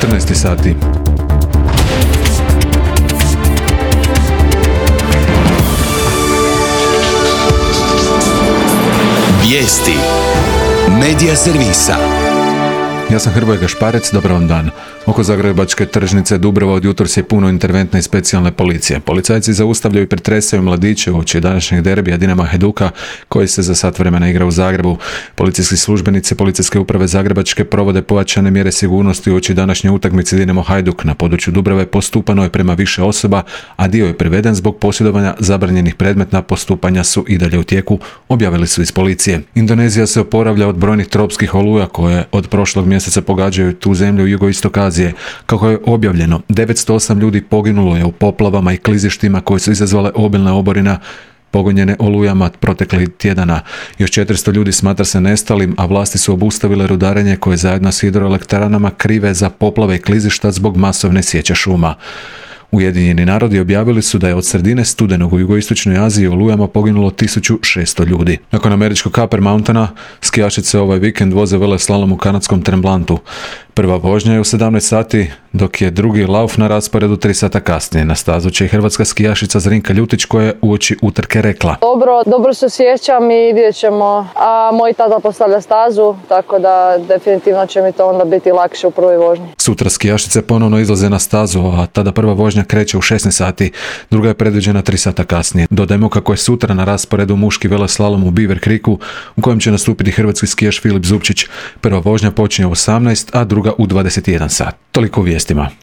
14 sati. Vijesti Medija servisa. Ja sam Hrvoje Gašparec, dobar vam dan. Oko zagrebačke tržnice Dubrava od jutros je puno interventne i specijalne policije. Policajci zaustavljaju i pretresaju mladiće uoči današnjeg derbija Dinama Hajduka, koji se za sat vremena igra u Zagrebu. Policijski službenici Policijske uprave Zagrebačke provode pojačane mjere sigurnosti uoči današnje utakmice Dinamo Hajduk. Na području Dubrave postupano je prema više osoba, a dio je priveden zbog posjedovanja zabranjenih predmeta. Postupanja su i dalje u tijeku, objavili su iz policije. Indonezija se oporavlja od brojnih tropskih oluja koje od prošlog mjeseca pogađaju tu zemlju jugoistok Azije. Kako je objavljeno, 908 ljudi poginulo je u poplavama i klizištima koje su izazvale obilne oborina pogonjene olujama proteklih tjedana. Još 400 ljudi smatra se nestalim, a vlasti su obustavile rudarenje koje zajedno s hidroelektranama krive za poplave i klizišta zbog masovne sječe šuma. Ujedinjeni narodi objavili su da je od sredine studenog u jugoistočnoj Aziji u olujama poginulo 1600 ljudi. Nakon američkog Copper Mountaina, skijašice ovaj vikend voze veleslalom u kanadskom Tremblantu. Prva vožnja je u 17 sati, dok je drugi lauf na rasporedu 3 sata kasnije. Na stazu će i hrvatska skijašica Zrinka Ljutić, koja je uoči utrke rekla: Dobro se osjećam i vidjet ćemo. A moj tata postavlja stazu, tako da definitivno će mi to onda biti lakše u prvoj vožnji. Sutra skijašice ponovno izlaze na stazu, a tada prva vožnja kreće u 16 sati, druga je predviđena 3 sata kasnije. Dodajmo kako je sutra na rasporedu muški veleslalom u Beaver Creeku, u kojem će nastupiti hrvatski skijaš Filip Zupčić. Prva vožnja počinje u 18, a druga u 21 sat. Toliko u vijestima.